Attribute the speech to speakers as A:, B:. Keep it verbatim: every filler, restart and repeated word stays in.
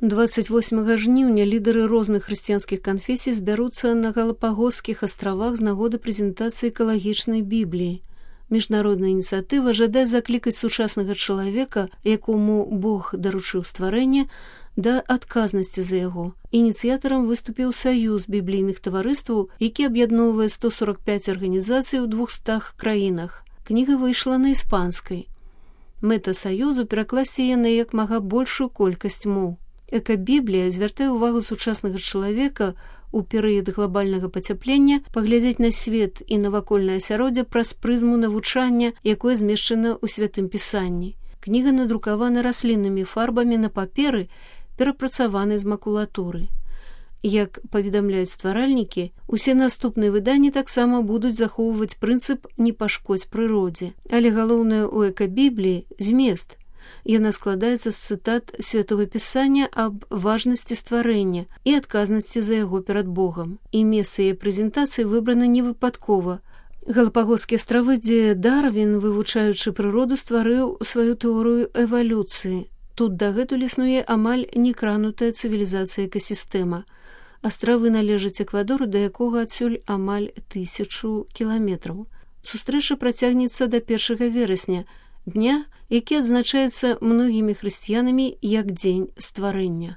A: дваццаць восьмага жніўня лідары розных хрысціянскіх канфесій збяруцца на Галапагосскіх астравах з нагоды прэзентацыі экалагічнай бібліі. Міжнародная ініцыятыва жадае заклікаць сучаснага чалавека, якому Бог даручыў стварэнне, да адказнасці за яго. Ініцыятарам выступіў Саюз біблійных таварыстваў, які аб'ядноўвае сто сорак пяць арганізацый у двухстах краінах. Кніга выйшла на іспанскай. Мэта Саюзу перакласці яе на як мага большую колькасць моў. Экабіблія звяртае ўвагу сучаснага чалавека у перыяд глобальнага пацяплення паглядзець на свет і навакольнае асяроддзе праз прызму навучання, якое змешчана ў святым пісанні. Кніга надрукавана расліннымі фарбамі на паперы, перапрацаванай з макулатуры. Як паведамляюць стваральнікі, усе наступныя выданні таксама будуць захоўваць прынцып «не пашкодзь прыродзе». Але галоўнае ў экабібліі – змест. Яна складаецца з цытат святога пісання аб важнасці стварэння і адказнасці за яго перад Богам. І месца яе прэзентацыі выбрана невыпадкова. Галапагосскія астравы, дзе Дарвін, вывучаючы прыроду, стварыў сваю тэорыю эвалюцыі. Тут дагэтуль існуе амаль некранутая цывілізацыя экасістэма. Астравы належаць Эквадору, да якога адсюль амаль тысячу кіламетраў. Сустрэча працягнецца да першага верасня, дня, які адзначаецца многімі хрысціянамі як дзень стварэння.